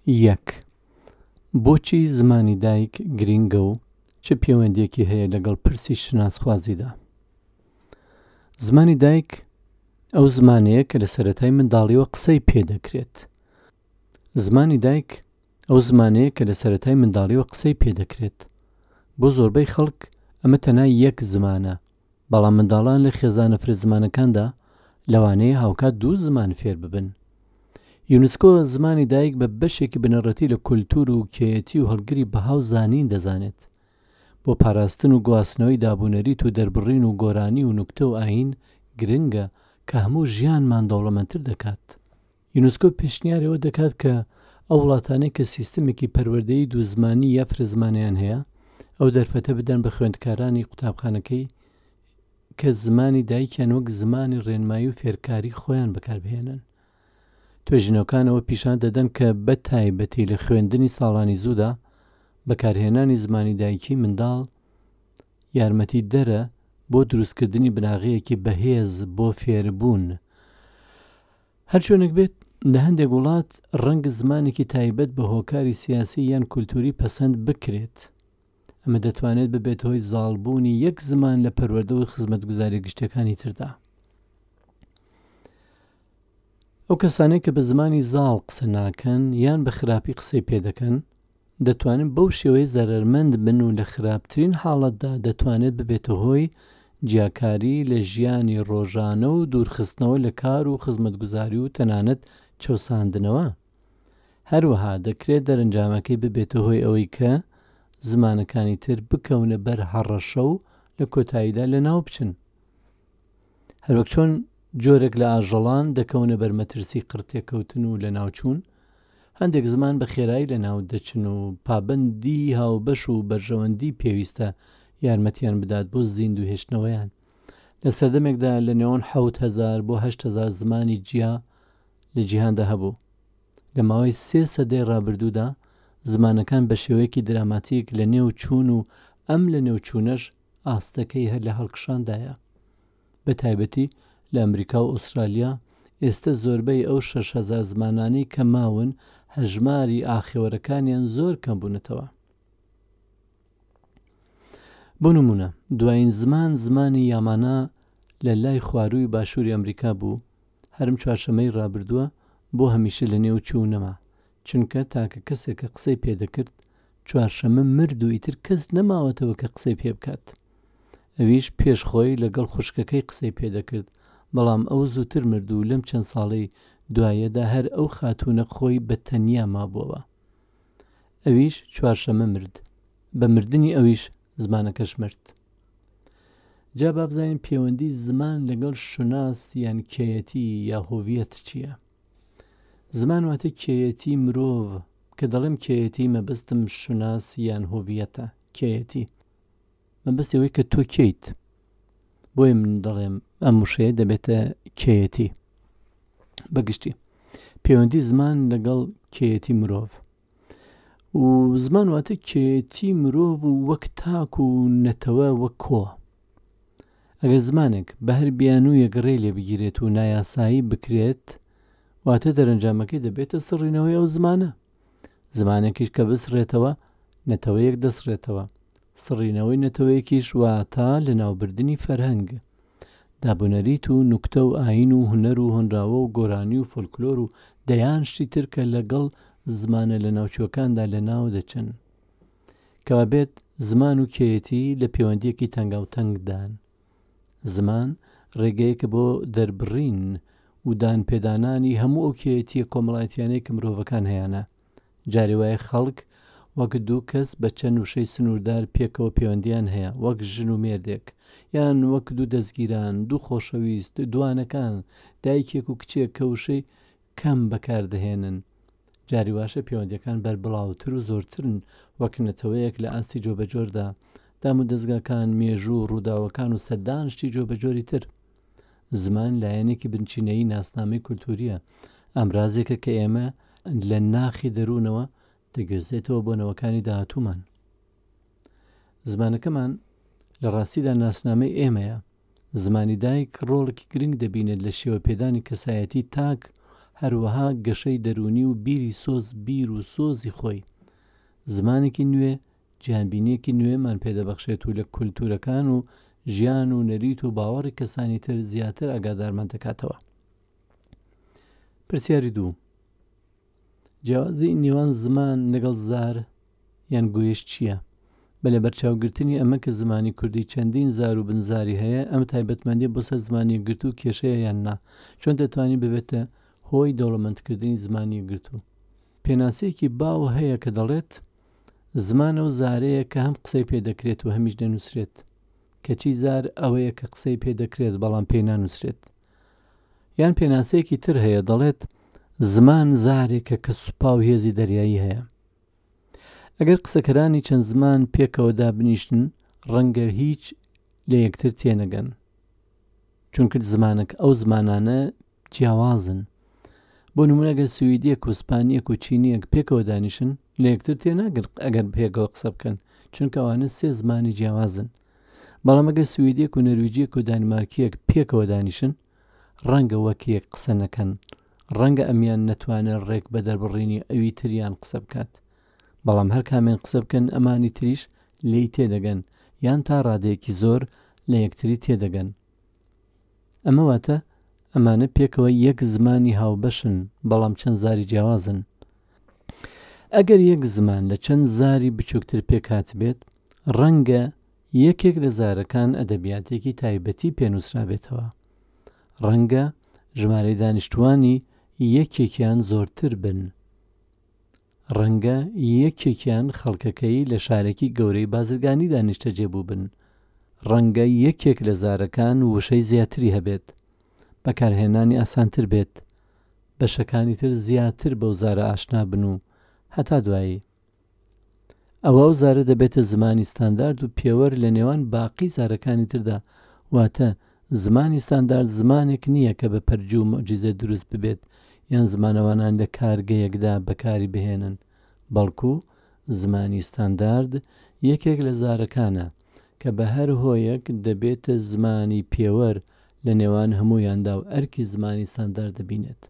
یەک، بۆچی زمانی دایک گرینگە و چ پێوەندییەکی هەیە لەگەڵ پرسی شوناسخوازیدا؟ زمانی دایک ئەو زمانەیە کە لە سەرەتای منداڵییەوە قسەی پێ دەکرێت. زمانی دایک ئەو زمانەیە کە لە سەرەتای منداڵییەوە قسەی پێ دەکرێت. بۆ زۆربەی خەڵک ئەمە تەنها یەک زمانە، بەڵام منداڵان لە خێزانە فرە زمانەکاندا لەوانەیە هاوکات دوو زمان فێر ببن. یونسکۆ زمانی دایک بە بەشێکی بنەڕەتی لە کولتوور و کێیەتی و هەڵگری بەها و زانین دەزانێت. بۆ پاراستن و گواستنەوەی دابونەریت و دەربڕین و گۆرانی و نوکتە و ئایین گرنگە کە هەموو ژیانمان دەوڵەمەندتر دەکات. یونسکۆ پێشنیاری ئەوە دەکات کە ئەو وڵاتانەی کە سیستمێکی پەروەردەیی دوو زمانی یا فرە زمانیان هەیە ئەو دەرفەتە بدەن بە خوێندکارانی قوتابخانەکەی کە زمانی دایکیان وەک زمانی ڕێنمایی و فێرکاری خۆیان بەکاربهێنن. توێژینەوەکان ئەوە پیشان دەدەن کە بە تایبەتی لە خوێندنی ساڵانی زوودا بەکارهێنانی زمانی دایکی منداڵ یارمەتیدەرە بۆ دروستکردنی بناغەیەکی بەهێز بۆ فێربوون. هەرچۆنێک بێت، لە هەندێک وڵات ڕەنگە زمانێکی تایبەت بە هۆکاری سیاسی یان کولتووری پەسەند بکرێت. ئەمە دەتوانێت ببێتە هۆی زاڵبوونی یەک زمان لە پەروەردە و خزمەتگوزارییە گشتییەکانی تردا. ئەو کەسانەی کە بە زمانی زاڵ قسە ناکەن یان بە خراپی قسەی پێ دەکەن، دەتوانن بەو شێوەیە زەرەرمەند بن و لە خراپترین حاڵەتدا دەتوانێت ببێتە هۆی جیاکاری لە ژیانی ڕۆژانە و دوورخستنەوە لە کار و خزمەتگوزاری و تەنانەت چەوساندنەوە. هەروەها دەکرێت دەرەنجامەکەی ببێتە هۆی ئەوەی کە زمانەکانی تر بکەونە بەر هەڕەشە و لە کۆتاییدا لەناو بچن. هەروەک چۆن جۆرێک لە ئاژەڵان دەکەونە بەر مەترسی قڕتێکەوتن و لەناوچوون، هەندێک زمان بە خێرایی لەناو دەچن و پابەندی هاوبەش و بەرژەوەندی پێویستە یارمەتیان بدات بۆ زیندوو هێشتنەوەیان. لە سەردەمێکدا لە نێوان 7000 بۆ 8000 زمانی جیا لە جیهاندا هەبوو. لە ماوەی سێ سەدەی ڕابردوودا زمانەکان بە شێوەیەکی دراماتیک لە نێو چوون و ئەم لە نێو چوونەش ئاستەکەی هەر لە هەڵکشاندایە. بە تایبەتی لە ئەمریکا و ئوسترالیا ئێستە زۆربەی ئەو 6000 زمانانەی کە ماون هەژماری ئاخێوەرەکانیان زۆر کەم بوونەتەوە. بۆ نموونە دوایین زمان زمانی یامانا لە لای خوارووی باشووری ئەمریکا بوو هەرم چوارشەممەی ڕابردووە بۆ هەمیشە لە نێو چوو و نەما چونکە تاکە کەسێک کە قسەی پێ دەکرد چوارشەممە مرد و ئیتر کەس نەماوەتەوە کە قسەی پێ بکات. ئەویش پێش خۆی لەگەڵ خوشکەکەی قسەی پێ دەکرد، بەڵام ئەو زووتر مرد و لەم چەند ساڵەی دواییەدا هەر ئەو خاتوونە خۆی بە تەنیا مابووەوە. ئەویش چوارشەممە مرد. بە مردنی ئەویش زمانەکەش مرد. جا با بزانین پێوەندی زمان لەگەڵ شوناس یان کێیەتی یا هۆڤیەت چییە؟ زمان واتە کێیەتی مرۆڤ، کە دەڵێم کێیەتی مەبەستم شوناس یان هۆڤیەتە، کێیەتی. مەبەستی ئەوەی کە تۆ کێیت. بۆیە من دەڵێم ئەم وشەیە دەبێتە کێیەتی. بەگشتی پەیوەندی زمان لەگەڵ کێیەتی مرۆڤ و زمان واتە کێیەتی مرۆڤ و وەک تاک و نەتەوە وەک کۆ. ئەگەر زمانێک بە هەر بیانوویەک ڕێ لێ بگیرێت و نایاسایی بکرێت، واتە دەرەنجامەکەی دەبێتە سڕینەوەی ئەو زمانە. زمانێکیش کە بسڕێتەوە، نەتەوەیەک دەسڕێتەوە. سڕینەوەی نەتەوەیەکیش واتە لەناوبردنی فەرهەنگ. دابونەریت و نوکتە و ئایین و هونەر و هۆنراوە و گۆرانی و فۆلکلۆر و دەیان شتی تر کە لەگەڵ زمانە لەناوچووەکاندا لەناو دەچن. کەوابێت زمان و کێیەتی لە پێوەندییەکی تەنگاوتەنگدان. زمان ڕێگەیەکە بۆ دەربڕین و دانپێدانانی هەموو ئەو کێیەتییە کۆمەڵایەتییانەی کە مرۆڤەکان هەیانە. جارێ وایە خەڵک وەک دوو کەس بە چەند وشەی سنووردار پێکەوە پێوەندییان هەیە، وەک ژن و مێردێک، یان وەک دوو دەزگیران، دوو خۆشەویست، دووانەکان، دایکێک و کچێک کە وشەی کەم بەکار دەهێنن. جاری واشە پێوەندییەکان بەربڵاوتر و زۆرترن وەک نەتەوەیەک لە ئاستی جۆبەجۆردا، دامودەزگاکان، مێژوو، ڕووداوەکان و سەدان شتی جۆبەجۆری تر. زمان لایەنێکی بنچینەیی ناسنامەی کولتوورییە، ئامرازێکە کە ئێمە لە ناخی دەروونەوە دەگوێزێتەوە بۆ نەوەکانی داهاتوومان. زمانەکەمان لە ڕاستیدا ناسنامەی ئێمەیە. زمانی دایک ڕۆڵێکی گرنگ دەبینێت لە شێوەپێدانی کەسایەتی تاک، هەروەها گەشەی دەروونی و بیری سۆز بیر و سۆزی خۆی. زمانێکی نوێ جیهانبینییەکی نوێمان پێدەبەخشێت و لە کولتوورەکان و ژیان و نەریت و باوەڕی کەسانی تر زیاتر ئاگادارمان دەکاتەوە. پرسیاری دوو، جیاوازی نێوان زمان لەگەڵ زار یان گویش چییە؟ بە لەبەرچاوگرتنی ئەمە کە زمانی کوردی چەندین زار و بنزاری هەیە، ئەم تایبەتمەندییە بۆ سەر زمانی یەکگرتوو کێشەیە یان نا؟ چۆن دەتوانین ببێتە هۆی دەوڵەمەندکردنی زمانی یەکگرتوو؟ پێناسەیەکی باو هەیە کە دەڵێت، زمان ئەو زارەیە کە هەم قسەی پێ دەکرێت و هەمیش دەنووسرێت. کەچی زار ئەوەیە کە قسەی پێ دەکرێت بەڵام پێی نانووسرێت. یان پێناسەیەکی تر هەیە دەڵێت، زمان زارێکە کە سوپا و هێزی دەریایی هەیە. ئەگەر قسەکەرانی چەند زمان پێکەوە دابنیشن ڕەنگە هیچ لە یەکتر تێنەگەن. چونکە زمانەکە ئەو زمانانە جیاوازن. بۆ نموونە گەر سویدیەک و سپانیەک و چینیەک پێکەوە دانیشن لە یەکتر تێناگەن ئەگەر پێکەوە قسە بکەن چونکە ئەوانە سێ زمانی جیاوازن. بەڵام ئەگەر سویدیەک و نەرویجیەک و دانیمارکیەک پێکەوە دانیشن ڕەنگە وەک یەک قسە نەکەن، ڕەنگە ئەمیان نەتوانێت ڕێک بە دەربڕینی ئەوی تریان قسە بکات. بەڵام هەر کامیان قسە بکەن ئەمانی تریش لێی تێدەگەن یان تا ڕادەیەکی زۆر لە یەکتری تێدەگەن. ئەمە واتە ئەمانە پێکەوە یەک زمانی هاوبەشن بەڵام چەند زاری جیاوازن. ئەگەر یەک زمان لە چەند زاری بچووکتر پێکهاتبێت، ڕەنگە یەکێک لە زارەکان ئەدەبیاتێکی تایبەتی پێ نووسرابێتەوە. ڕەنگە ژمارەی دانیشتووانی یەکێکیان زۆرتر بن. ڕەنگە یەکێکیان خەڵکەکەی لە شارێکی گەورەی بازرگانیدا نیشتەجێ بووبن. ڕەنگە یەکێک لە زارەکان وشەی زیاتری هەبێت، بەکارهێنانی ئاسانتر بێت، بەشەکانی تر زیاتر بەو زارە ئاشنا بن و هەتا دوایی. ئەوا ئەو زارە دەبێتە زمانی ستاندارد و پێوەر لە نێوان باقی زارەکانی تردا، واتە زمانی ستاندارد زمانێک نییە کە بە پەرجوو و موعجیزە دروست ببێت یان زمانەوانان لە کارگەیەکدا بەکاری بهێنن، بەڵکو زمانی ستاندارد یەکێک لە زارەکانە کە بە هەر هۆیەک دەبێتە زمانی پێوەر لە نێوان هەموویاندا و ئەرکی زمانی ستاندارد دەبینێت.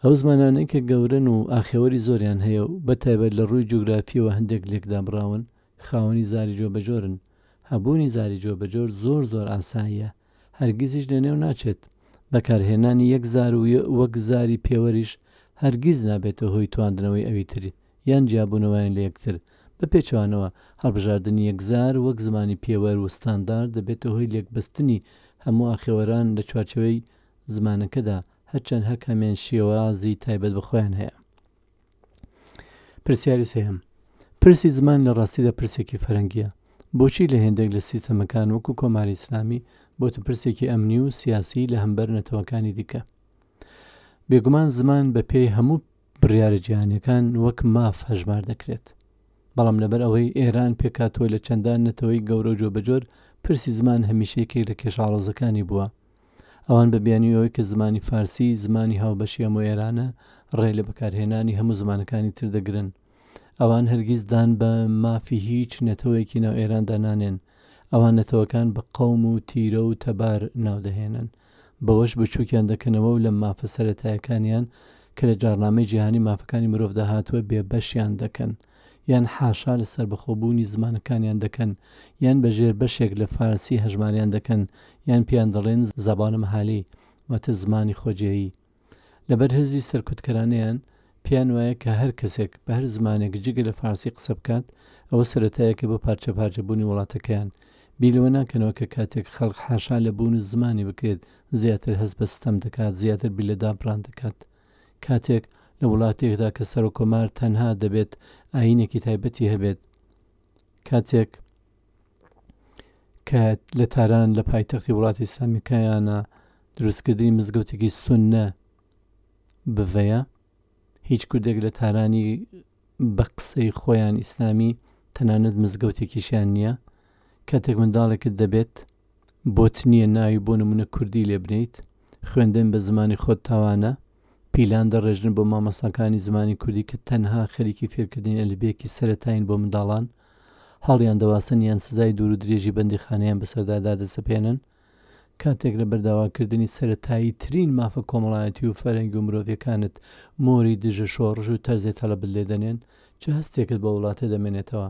ئەو زمانانەی کە گەورەن و ئاخێوەری زۆریان هەیە و بە تایبەت لە ڕووی جوگرافییەوە هەندێک لێک دابڕاون، خاوەنی زاری جۆبەجۆرن. هەبوونی زاری جۆبەجۆر زۆر زۆر ئاساییە، هەرگیزیش لەنێو ناچێت. بەکارهێنانی یەک زار و وەک زاری پێوەریش هەرگیز نابێتە هۆی تواندنەوەی ئەوی تر یان جیابوونەوەیان لە یەکتر، بە پێچەوانەوە هەڵبژاردنی یەک زار وەک زمانی پێوەر و ستاندارد دەبێتە هۆی لێکبەستنی هەموو ئاخێوەران لە چوارچێوەی زمانەکەدا، هەرچەند هەر کامیان شێوازی تایبەت بە خۆیان هەیە. پرسیاری سێهەم، پرسی زمان لە ڕاستیدا پرسێکی فەرەنگییە. بۆچی لە هێندێک لە سیستەمەکان وەکوو کۆماری ئیسلامی بۆتە پرسێکی ئەمنی و سیاسی لە هەمبەر نەتەوەکانی دیکە؟ بێگومان زمان بە پێی هەموو بڕیارە جیهانییەکان وەک ماف هەژمار دەکرێت. بەڵام لەبەر ئەوەی ئێران پێکهاتووە لە چەندان نەتەوەی گەورە و جۆبەجۆر، پرسی زمان هەمیشە یەکێک لە کێشە ئاڵۆزەکانی بووە. ئەوان بە بیانووی ئەوەی کە زمانی فارسی زمانی هاوبەشی هەموو ئێرانە، ڕێ لە بەکارهێنانی هەموو زمانەکانی تر دەگرن. ئەوان هەرگیز دان بە مافی هیچ نەتەوەیەکی ناو ئێراندا نانێن. ئەوان نەتەوەکان بە قەوم و تیرە و تەبار ناو دەهێنن. بەوەش بچووکیان دەکەنەوە و لە مافە سەرەتایەکانیان کە لە جاڕنامەی جیهانی مافەکانی مرۆڤدا هاتووە بێبەشیان دەکەن. یان حاشا لە سەربەخۆبوونی زمانەکانیان دەکەن، یان بە ژێر بەشێک لە فارسی هەژماریان دەکەن، یان پێیان دەڵێن زبان محلی، واتە زمانی خۆجێیی. لەبەر هزری سەرکوتکەرانەیان، پێیان وایە کە هەر کەسێک بە هەر زمانێک جگە لە فارسی قسە بکات، ئەوە سەرەتایەکە بۆ پارچەپارچەبوونی وڵاتەکەیان. بیر لەوە ناکەنەوە کە کاتێک خەڵک حاشا لە بوون و زمانی بکرێت، زیاتر هەست بە ستەم دەکات، زیاتر بیر لە دابڕان دەکات. کاتێک لە وڵاتێکدا کە سەرۆککۆمار تەنها دەبێت ئایینێکی تایبەتی هەبێت، کاتێک کە لە تاران لە پایتەختی وڵاتی ئیسلامیەکەیانە دروستکردنی مزگەوتێکی سوننە بڤەیە، هیچ کوردێک لە تارانی بە قسەی خۆیان ئیسلامی تەنانەت مزگەوتێکیشیان نییە، کاتێک منداڵێکت دەبێت بۆت نییە ناوی بۆ نموونە کوردی لێ بنێیت، خوێندن بە زمانی خۆت تاوانە، پیلان دەڕێژن بۆ مامۆستاکانی زمانی کوردی کە تەنها خەریکی فێرکردنی ئەلفبێکی سەرەتایین بۆ منداڵان، هەڵیان دەواسن یان سزای دوور و درێژی بەندیخانەیان بەسەردا دادەسەپێنن. کاتێک لەبەر داواکردنی سەرەتاییترین مافە کۆمەڵایەتی و فەرهەنگی و مرۆڤیەکانت مۆری دژە شۆڕش و تەرزەی تەڵەبت لێدەنێن، چ هەستێکت بۆ وڵاتە دەمێنێتەوە؟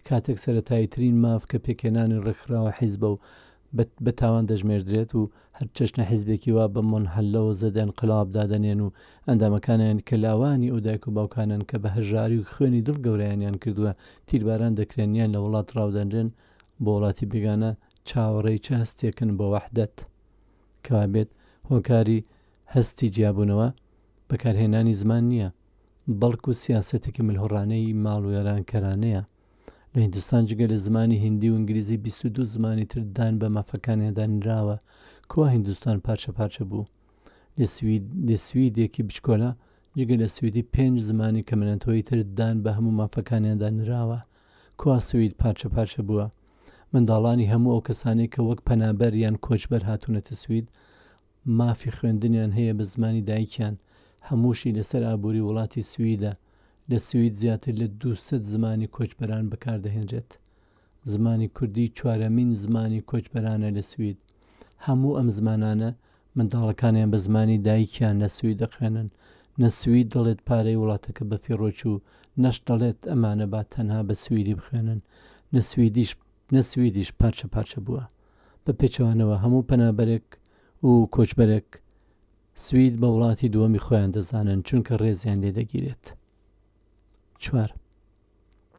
کاتێک سەرەتاییترین ماف کە پێکهێنانی ڕێکخراوە حیزبە و بە تاوان دەژمێردرێت و هەر چەشنە حیزبێکی وا بە مونحەلە و زەد ئینقلاب دادەنێن و ئەندامەکانیان کە لاوانی ئەو دایک و باوکانەن کە بە هەژاری و خوێنی دڵ گەورەیانیان کردووە تیرباران دەکرێن یان لە وڵات ڕاودەنرێن بۆ وڵاتی بێگانە چاوەڕێی چ هەستێکن بۆ وەحدەت؟ کەوابێت هۆکاری هەستی جیابوونەوە بەکارهێنانی زمان نییە بەڵکو سیاسەتێکی ملهوڕانەی ماڵوێرانکەرانەیە. لە هیندستان جگە لە زمانی هیندی و ئینگلیزی 22 زمانی تر دان بە مافەکانیاندا نراوە، کوا هیندستان پارچە پارچە بوو؟ لە سویدێکی بچکۆلە جگە لە سویدی پێنج زمانی کەمەنەتەوەی تر دان بە هەموو مافەکانیاندا نراوە، کوا سوید پارچە پارچە بووە؟ منداڵانی هەموو ئەو کەسانەی کە وەک پەنابەر یان کۆچبەر هاتوونەتە سوید مافی خوێندنیان هەیە بە زمانی دایکیان، هەمووشی لەسەر ئابووری وڵاتی سویدە، لە سوید زیاتر لە 200 زمانی کۆچبەران بەکاردەهێنرێت. زمانی کوردی چوارەمین زمانی کۆچبەرانە لە سوید. هەموو ئەم زمانانە منداڵەکانیان بە زمانی دایکیان لە سوید دەخوێنن. نە سوید دەڵێت پارەی وڵاتەکە بەفیڕۆ چوو، نەش دەڵێت ئەمانە با تەنها بە سویدی بخوێنن. نە سویدیش نە سویدیش پارچە پارچە بووە. بە پێچەوانەوە هەموو پەنابەرێک و کۆچبەرێک سوید بە وڵاتی دووەمی خۆیان دەزانن چونکە ڕێزیان لێ دەگیرێت. چوار.